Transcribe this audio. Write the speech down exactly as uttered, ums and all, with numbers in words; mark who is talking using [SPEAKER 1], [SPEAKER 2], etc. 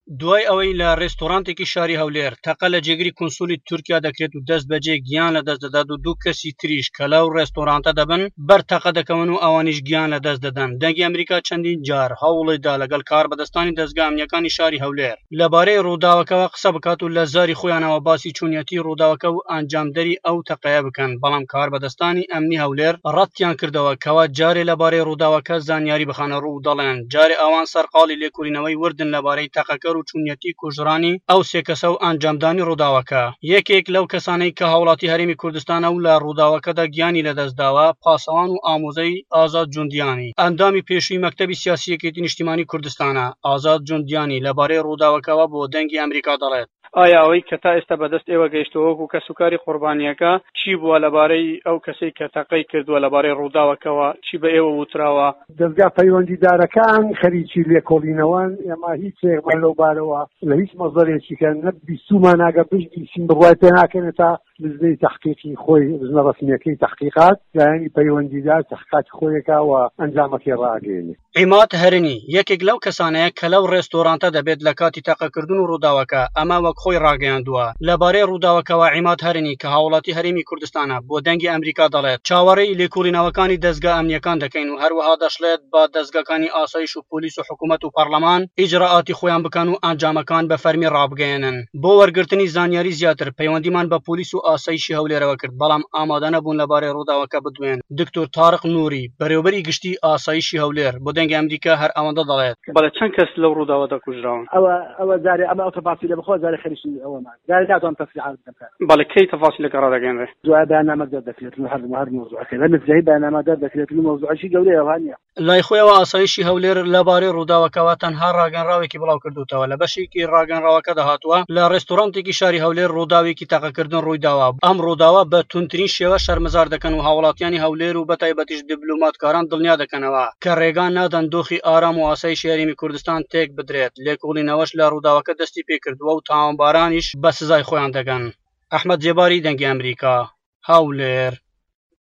[SPEAKER 1] دوای ئەوەی لە ڕێستۆرانتێکی شاری هەولێر تەقە لە جێگری کونسولی تورکیا دەکرێت و دەست بەجێ گیان لە دەست دەدات و دوو کەسی تریش کە لەو ڕێستۆرانتە دەبن بەر تەقە دەکەون و ئەوانیش گیان لە دەست دەدەن. دەنگی ئەمریکا چەندین جار هەوڵیدا لەگەڵ کاربەدەستانی دەزگا ئەمنیەکانی شاری هەولێر لەبارەی ڕووداوەکەوە قسە بکات و لە زاری خۆیانەوە باسی چۆنیەتی ڕووداوەکە و ئەنجامدەری ئەو تەقەیە بکەن، بەڵام کاربەدەستانی ئەمنی هەولێر ڕەتیان کردەوە کەوا جارێ لەبارەی ڕووداوەکە زانیاری بخەنە ڕوو و دەڵێن جارێ ئەوان سەرقاڵی لێکۆڵینەوەی وردن لەبارەی تەقەکەر و چۆنیەتی کوژرانی ئەو سێ کەسە و ئەنجامدانی ڕووداوەکە. یەکێک لەو کەسانەی کە هاوڵاتی هەرێمی کوردستانە و لە ڕووداوەکەدا گیانی لەدەستداوە پاسەوان و ئامۆزای ئازاد جوندیانی ئەندامی پێشووی مەکتەبی سیاسی یەکێتی نیشتیمانی کوردستانە. ئازاد جوندیانی لەبارەی ڕووداوەکەوە بۆ دەنگی ئەمریکا دەڵێت: ئایا ئەوەی کە تا ئێستا بەدەست ئێوە گەیشتووە وەکو کەسوکاری قوربانییەکە چی بووە لەبارەی ئەو کەسەی کە تەقەی کردووە، لەبارەی ڕووداوەکەوە چی بە ئێوە وتراوە؟
[SPEAKER 2] دەزگا پەیوەندیدارەکان خەریکی لێکۆڵینەوەن، ئێمە هیچ شتێکمان لەو بارەوە لە هیچ مەزەرێکی کە نەبیستومان ئەگەر بشبیستین بڕوای پێ ناکەین تا لجنەی تەحقیقی خۆی لجنە ڕەسمییەکەی تەحقیقات لایەنی پەیوەندیدار تەحقیقاتی خۆیەکا و ئەنجامەکەی ڕاگەیەنێ.
[SPEAKER 1] عیماد هەرنی یەکێک لەو کەسانەیە کە لەو ڕێستۆرانتە دەبێت لە کاتی تەقەکردن و ڕووداوەکە، ئەمە وەک خۆی ڕاگەیاندووە. لەبارەی ڕووداوەکەوە عیماد هەرنی کە هاوڵاتی هەرێمی کوردستانە بۆ دەنگی ئەمریکا دەڵێت چاوەڕێی لێکۆڵینەوەکانی دەزگا ئەمنیەکان دەکەین و هەروەها دەشڵێت با دەزگاکانی ئاسایش و پۆلیس و حکومەت و پەڕلەمان ئیجرائاتی خۆیان بکەن و ئەنجامەکان بە فەرمی ڕابگەیەنن. بۆ وەرگرتنی زانیاری زیاتر پەیوەندیمان بە پۆلیس و ئاسایشی هەولێرەوە کرد، بەڵام ئامادەنەبوون لەبارەی ڕووداوەکە بدوێن. دکتۆر تارق نوری، بەرێوبەری گشتی ئاسایشی هەولێر بۆ دەنگی ئەمریکا هەر ئەوەندە دەڵێت. بەڵێ چەند کەس لەو ڕووداوەدا کوژراون؟
[SPEAKER 3] ئەوە ئەوە جارێ ئەمە ئەو تەفاسیلە بخوا جارێ خەریکی ئەوەمان جارێ ناتوانم تەفسیرات بدەم کاک.
[SPEAKER 1] بەڵێ کەی تەفاسیلەکە ڕادەگەیەنرێ؟
[SPEAKER 3] دوای بەیاننامە دەردەکرێت و هەر هەر مەوزوعەکەی بە نزیکەی بەیاننامە دەردەکرێت و مەوزوعێکی گەورەیە وا نییە.
[SPEAKER 1] لای خۆیەوە ئاسایشی هەولێر لەبارەی ڕووداوەکەوە تەنها ڕاگەنراوێکی بڵاوکردووتەوە، لە بەشێکی ڕاگەنراوەکەدا هاتووە لە ڕێستۆرانتێکی شاری هەولێر ڕووداوێکی تەقەکردن ڕوویداوە، ئەم ڕووداوە بە توندترین شێوە شەرمەزار دەکەن و هاوڵاتیانی هەولێر و بەتایبەتیش دیبلۆماتکاران دڵنیا دەکەنەوە کە ڕێگا نادەن دۆخی ئارام و ئاسایشی هەرێمی کوردستان تێک بدرێت، لێکۆڵینەوەش لە ڕووداوەکە دەستی پێکردووە و تاوانبارانیش بە سزای خۆیان دەگەن. ئەحمەد زێباری، دەنگی ئەمریکا، هەولێر.